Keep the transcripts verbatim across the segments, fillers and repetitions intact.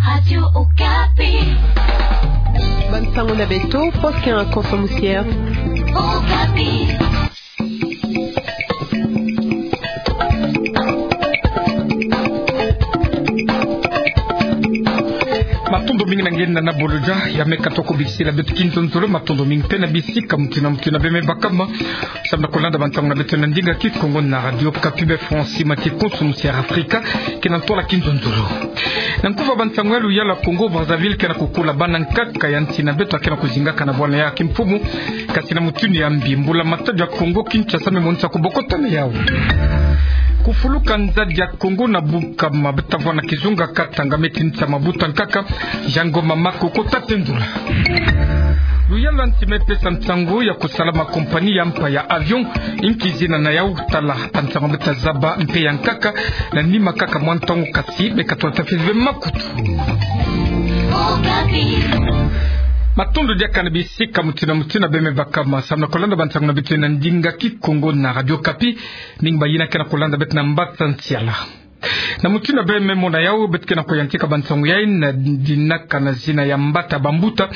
Radio Okapi. Bansango na beto, Faustin Konso Musière. Okapi. Matondo mingi na nge na bolodja ya meka toko bisila beto kinzonzolo, matondo mingi pe na bisika mutu na mutu na beme bakama. Samu na kolanda bansango na beto na ndinga Kikongo na Radio Okapi, be Francis Mati Konso Musière Afrika, ke na ntwala kinzonzolo. Na nkufa bansango ya luyalu ya Congo Brazzaville ke na kukula bana nkaka ya nsi na beto ke na kuzingaka na bwala ya kimfumu, kasi na mutindu ya mbi. Mbula-matadi ya Congo Kinshasa me monisa kubokota na yau. Kufuluka nzadi ya Congo na Bukama, beta vwa na kizunga Katanga, me tinisa mabuta nkaka, Jean Ngoma Mako kota tendula. Luyalu ya nsi me pesa nsangu ya kusala ma compagnie ya mpa ya avion, inki zina na yau? Tala bansangu beta zaba mpe ya nkaka na nima kaka mwa ntangu, kasi beka tula tafili ve makutu. Matondo diaka na bisika mutu na mutu na beme bakama. Samu na kolanda bansango na beto na ndinga Kikongo na Radio Okapi, mingi bayina ke na kolanda beto na mbata nsiala. Na mutindu ya beme mona yau, beto ke na kuyantika bansango yayi na dinaka na zina ya mbata bambuta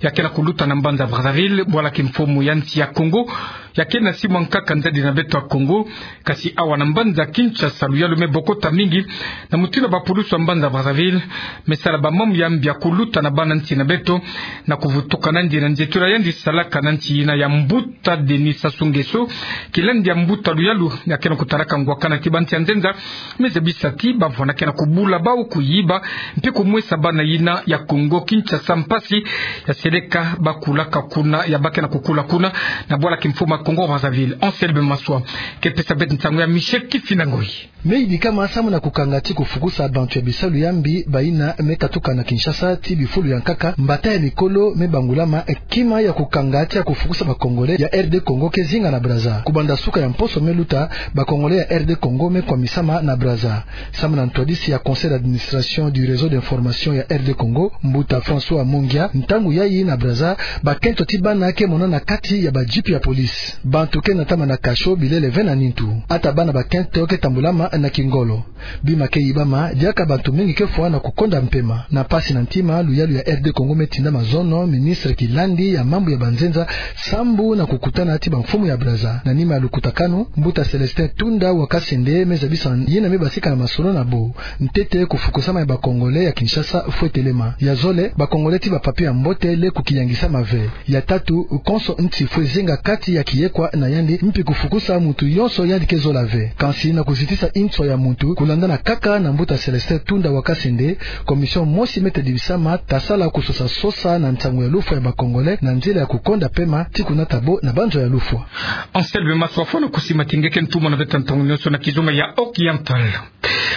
ya ke na kuluta na mbanza Brazzaville, bwala kimfumu ya nsi ya Congo, ya ke na simwa nkaka nzadi na beto ya Congo. Kasi awa na mbanza Kinshasa, luyalu me bokota mingi, na mutindu ya bapulusu ya mbanza Brazzaville me sala bamambu ya mbi ya kuluta na bana nsi na beto, na kuvutuka na yandi na nzietolo ya yandi salaka na nsi yina ya mbuta Denis Sassou Nguesso, kilandi ya mbuta luyalu ya ke na kutalaka ngwakana ti bansi ya nzenza, me zabisa ti bavwanda ke na kubula bau, kuyiba, mpe kumwesa bana yina ya Congo Kinshasa mpasi ya seleka ba kulaka kuna, ya ba ke na kukula kuna, na bwala kimfumu ya Congo Brazzaville. Anselme Maswa ke pesa beto nsangu ya Michel Kifinda Ngoyi. Me yidikama samu na kukanga ti kufukusa bantu ya bisalu ya mbi bayina me katuka na Kinshasa ti bifulu ya nkaka, mbata ya mikolo me bangulama, kima ya kukanga ti ya kufukusa ba Congolais ya R D Congo ke zinga na Brazza. Kubanda suka ya mposo me luta, ba Congolais ya R D Congo me kwamisama na Brazza. Samu na ntwadisi ya Conseil d'administration du réseau d'information ya R D Congo, mbuta François Mongia, ntangu yayi na Brazza, bakento ti bana ke monana kati ya ba jeep ya police. Bantu ke natama na kasho bilele ve na nintu. Ata bana bakento ke tambulama na kingolo. Bima ke yibama, diaka bantu mingi ke fwa na kukonda mpema. Na mpasi na ntima, luyalu ya R D Congo me tinda mazono ministre kilandi ya mambu ya banzenza, sambu na kukutana ti bamfumu ya Brazza. Na nima ya lukutakanu, mbuta Célestin Tunda wa Kasende me zabisa yina me basika na masolo na bo. Ntete, kufukusama ya ba Congolais ya Kinshasa fwe telema. Ya zole, ba Congolais ti ba papier ya mbote leko kiyangisama ve. Ya tatu, konso nti fwe zinga kati ya kiyekwa na yandi, mpi kufukusa muntu yonso yandi ke zola ve. Kansi na kuzitisa inswa ya muntu, kulandana kaka na mbuta Célestin Tunda wa Kasende, commission mosi me tadibisama ta sala kusosa sosa na nsangu ya lufwa ya ba Congolais na nzila ya kukonda mpema ti kunata bo na banzo ya lufwa. Anselme Maswa, fwana kusima ti nge ke ntumwa na beto ntangu yonso na kizunga ya Oriental.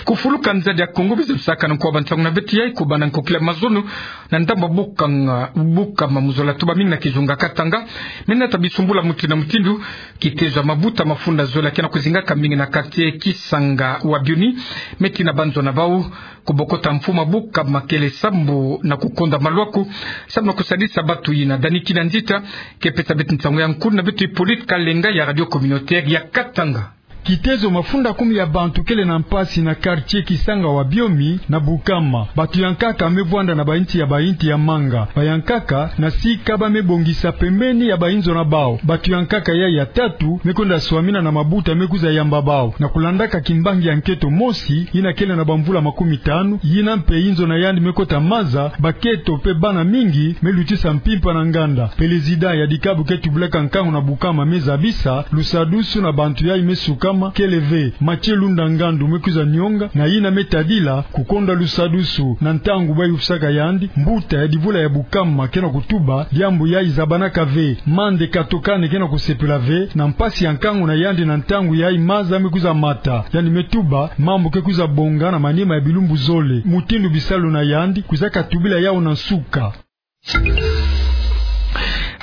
Kufuluka nzadi ya Congo, bizi lusaka na nko wa bansango na beto yayi, kubanda nkokila mazono na ndambu Bukanga, Bukama, mu zola tuba mingi na kizunga Katanga, me nata bisumbula mutindu na mutindu. Kitezo ya mabuta mafunda zole ke na kuzingaka mingi na quartier Kisanga wa Bioni, me tina banzo na bau kubokota mfumu ya Bukama kele sambu na kukonda malwaku, sambu na kusadisa bantu yina. Dani Kinanzita ke pesa beto nsangu ya nkulu na beto Hippolyte Kalenga ya Radio Communautaire ya Katanga. Kitezo mafunda kumi ya bantu kele na mpasi na quartier Kisanga wa Bioni na Bukama. Bantu ya nkaka me vwanda na bainti ya bainti ya manga. Ba ya nkaka na sika ba me bongisa pembeni ya bainzo na bau. Bantu ya nkaka yayi ya tatu me kwenda swamina na mabuta me kwiza yamba bau. Na kulandaka kimbangi ya nkento mosi, yina kele na bamvula makumi tanu, yina mpe inzo na yandi me kota maza, bakento mpe bana mingi me lutisa mpimpa na nganda. Pelezida ya dikabu ke tubilaka nkangu na Bukama me zabisa, lusadusu na bantu yayi me sukama kele ve. Mathieu Lunda Ngandu me kwiza nionga, na yina me tadila kukonda lusadusu. Na ntangu ba yufisaka yandi, mbuta ya divula ya Bukama ke na kutuba, diambu yayi zabanaka ve. Mande Katokane ke na kusepela ve na mpasi ya nkangu na yandi na ntangu yayi maza me kwiza mata. Yandi me tuba, mambu ke kwiza bonga na manima ya bilumbu zole. Mutindu bisalu na yandi, kwizaka tubila yawu na nsuka.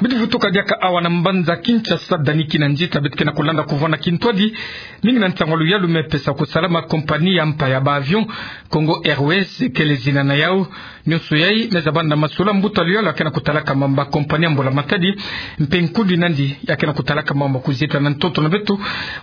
Beto vutuka diaka awa na mbanza Kinshasa, dani kina nzita beto ke na kulanda kuvwanda kintwadi mingi na ntangu ya luyalu me pesa kusalama kompani ya mpa ya ba avion Congo Airways, kele zina na yau. Nyonso yai me zabana na masolo ya mbuta luyalu ya ke na kutalaka mambu ya kompani ya mbula matadi, mpe nkundi nandi ya ke na kutalaka mambu ya kuzieta na ntoto na beto.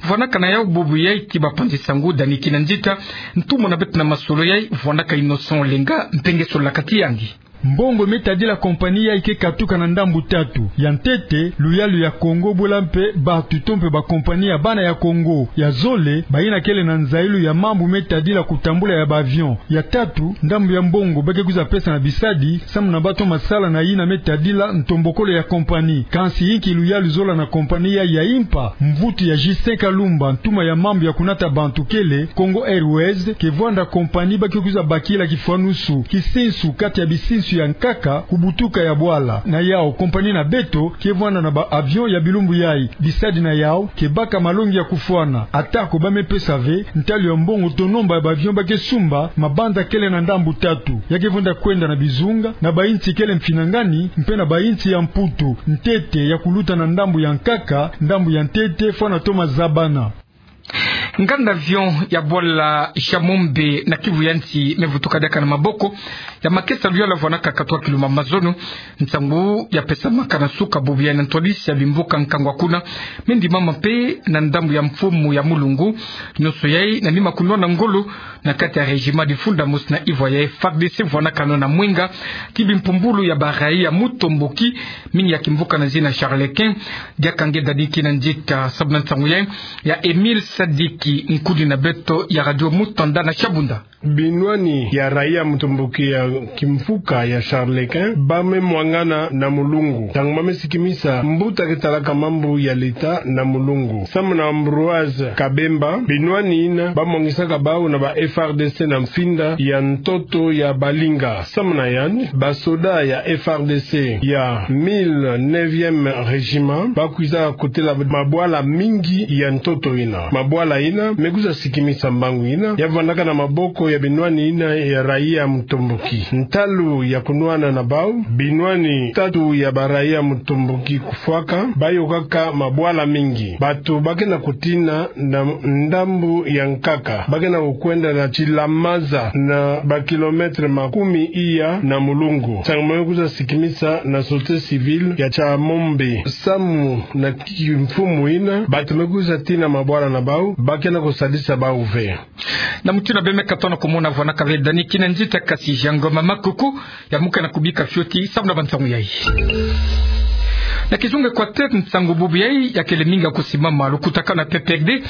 Vwandaka na yau bubu yai ti bapanzi nsangu, dani kina nzita. Ntumwa na beto na masolo yai vwandaka Innocent Olenga, mpe nge sololaka ti yandi. Mbongo me tadila kompani yai ke katuka na ndambu tatu. Ya ntete, luyalu ya Congo bula mpe batu to mpe bakompani ya bana ya Congo. Ya zole, bayina kele na nzailu ya mambu me tadila kutambula ya ba avion. Ya tatu, ndambu ya mbongo ba ke kwiza pesa na bisadi samu na bato masala na yina me tadila ntombokolo ya kompani. Kansi yinki luyalu zola na kompani yai ya mpa? Mvutu ya Justin Kalumba, ntumwa ya mambu ya kunata bantu, kele Congo Airways ke vwanda kompani ba ke kwiza bakila kifwanusu, kisinsu kati ya bisinsu ya nkaka ku butuka ya bwala. Na yau, kompani na beto ke vwanda na ba avion ya bilumbu yai. Bisadi na yau ke baka malongi ya kufwana. Atako ba me pesa ve ntalu ya mbongo to nomba ya ba avion ba ke sumba, mabanza kele na ndambu tatu. Ya ke vwanda kwenda na bizunga, na bainsi kele mfinangani, mpe na bainsi ya Mputu. Ntete ya kuluta na ndambu ya nkaka, ndambu ya ntete fwana to mazabana. Nganda avion ya bwala Shamombe na Kivu ya Nsi me vutuka diaka na maboko ya makesa luyalu ya vwandaka katuka kilumbu ya mazono. Nsangu ya pesamaka na suka bubu yai na ntwadisi ya bimvuka nkangu kuna, me ndimama mpe na ndambu ya mfumu ya Mulungu. Nyonso yai na nima kunwana ngolo na kati ya régiment difunda mosi na yinga ya F A R D C vwandaka nao na mwinga ti bimpumbulu ya ba raïa mutomboki mingi ya kimvuka na zina Charles Quint. Diaka nge dani kina nzita samu na nsangu yai ya Emile Sadiki, nkundi na beto ya Radio Mutanda na Shabunda. Binwani ya raïa mutomboki ya kimvuka ya Charles Quint ba me mwangana na Mulungu. Ntangu ba me sikimisa mbuta ke talaka mambu ya leta na Mulungu, samu na Ambroise Kabemba, binwani yina ba mwangisaka bau na ba F A R D C na mfinda ya ntoto ya balinga. Samu na yandi, basoda ya F A R D C ya mille neuvième régiment ba kwiza kotela mabwala mingi ya ntoto yina. Mabwala yina me kwiza sikimisa mbangu yina ya vwandaka na maboko ya binwani yina ya raïa mutomboki. Ntalu ya kunwana na bau, binwani tatu ya ba raïa mutomboki kufwaka, ba yokaka mabwala mingi. Bato ba ke na kutina na ndambu ya nkaka ba ke na kukwenda na tilamaza na ba kilomètre makumi iya na Mulungu. Nsangu me kwiza sikimisa na société civile ya Shamombe. Samu na kimfumu yina, bato me kwiza tina mabwala na bau, ba ke na kusadisa bau ve. Na mutindu beno me katuka na kumona, vwandaka ve dani kina nzita, kasi Jean Ngoma Makoko ya muka na kubika fioti samu na bansangu yai. Na kizunga Équateur, nsangu bubu yai ya kele mingi ya kusimama. Lukutakanu ya P P R D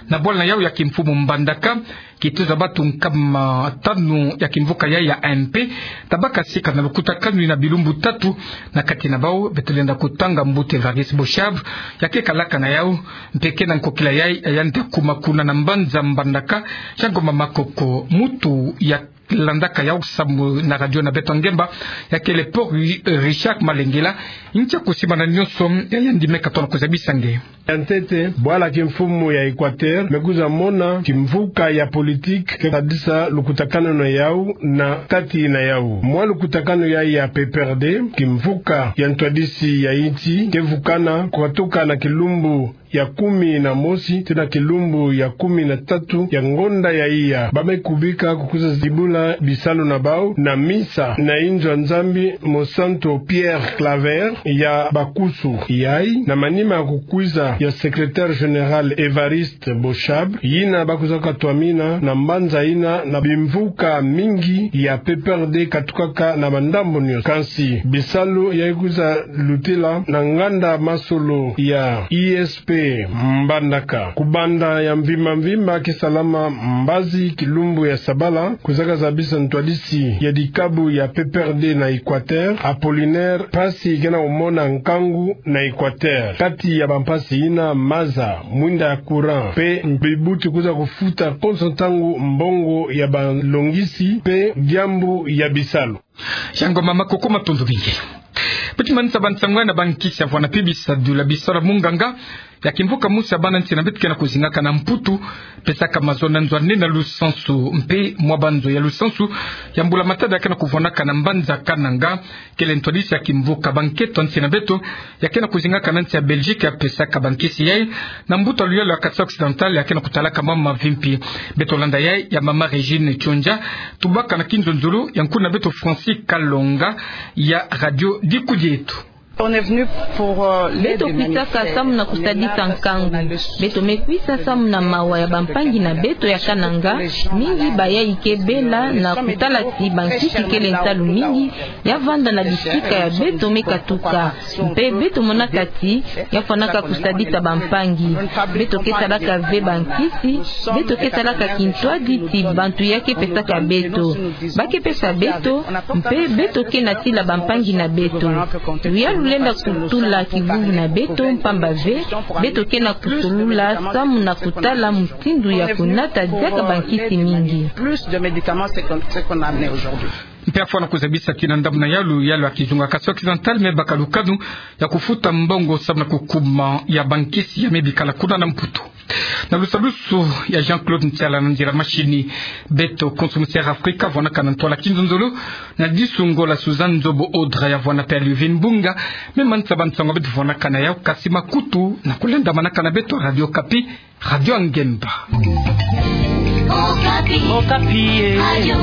na bwala na yau ya kimfumu Mbandaka, kituza batu nkama tanu ya kimvuka yai ya A M P, tabaka sika na lukutakanu yina bilumbu tatu. Na kati na bau beto lenda kutanga mbuta Évariste Boshab, ya ke kalaka na yau, mpe ke na nkokila yai ya yandi ya kuma kuna na mbanza Mbandaka. Jean Ngoma Makoko, mutu ya landaka yau samu na radio na beto Ngemba, ya kele Paul Ri-, Richard Malengela, ntia kusimba na nyonso ya yandi me katuka na kuzabisa nge. Ya ntete, bwala kimfumu ya Équateur me kwiza mona kimvuka ya politique ke sadisa lukutakanu na yau na kati na yau. Mwa lukutakanu yai ya P P R D, kimvuka ya ntwadisi ya insi, ke vukana kukatuka na kilumbu ya kumi na mosi tii na kilumbu ya kumi na tatu ya ngonda ya iya. Ba me kubika kukwiza zibula bisalu na bau na misa na inzo ya Nzambi Mosantu Pierre Claver ya Bakusu. Yai na manima ya kukwiza ya secrétaire général Évariste Boshab, yina ba kwiza katwamina na mbanza yina na bimvuka mingi ya P P R D katukaka na bandambu nyonso. Kansi bisalu yai kwiza lutila na nganda masolo ya I S P Mbandaka. Kubanda ya mvimba mvimba ke salama mbazi kilumbu ya sabala, kwizaka zabisa ntwadisi ya dikabu ya P P R D na Équateur, Apollinaire Pasi, ke na kumona nkangu na Équateur. Kati ya bampasi yina, maza, mwinda ya courant mpe bibuti kwiza kufuta konso ntangu mbongo ya balongisi mpe diambu ya bisalu. Jean Ngoma Makoko, matondo mingi. Beto manisa bansangu yai na bankisi ya vwanda mpe bisadula bisalu ya munganga. ya kimvuka musi ya bana nsi na beto ke na kuzingaka na Mputu, pesaka mazono nzwanina lusansu mpe mwa banzo ya lusansu ya mbula matadi ya ke na kuvwanaka na mbanza Kananga. Kele ntwadisi ya kimvuka bankento nsi na beto ya ke na kuzingaka na nsi ya Belgique ya pesaka bankisi yai na mbuta luyalu ya Kasaï Occidental ya ke na kutalaka mama mavimpi. Beto landa yai ya mama Régine Tchondja, tubaka na kinzonzolo ya nkuna beto Francis Kalonga ya Radio Dikudieto. Beto kwisaka samu na kusadisa nkangu. Beto me kwisa samu na mawa ya bampangi na beto ya Kananga, mingi bayai ke bela na kutala ti bankisi kele nsalu mingi ya vanda na bisika ya beto me katuka. Mpe beto monaka ti ya fwanaka kusadisa bampangi. Beto ke salaka ve bankisi, beto ke salaka kintwadi ti bantu ya ke pesaka beto. Ba ke pesa beto, mpe beto ke na tila bampangi na beto. Luyalu lenda kutula kivuvu na beto, mpamba ve beto ke na kusolula samu na kutala mutindu ya kunata diaka bankisi mingi. Mpe afwana kuzabisa ti na ndambu na yalu, yalu ya kizunga Kasaï Occidental me baka lukanu ya kufuta mbongo samu na kukuma ya bankisi ya me bikala kuna na Mputu. Na lusalusu ya Jean-Claude Ntiala, na nzila mashini beto Konso Musi Air Afrika vwanaka na ntwala kinzonzolo, na disu Ngola Suzanne Nzobo Audra ya vwana mpe Liuvin Mbunga me manisa bansango beto vwanaka na yau, kasi makutu na kulendamanaka na beto Radio Okapi, Radio ya Ngemba. Okapi. Okapi, eh. Radio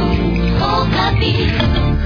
Okapi.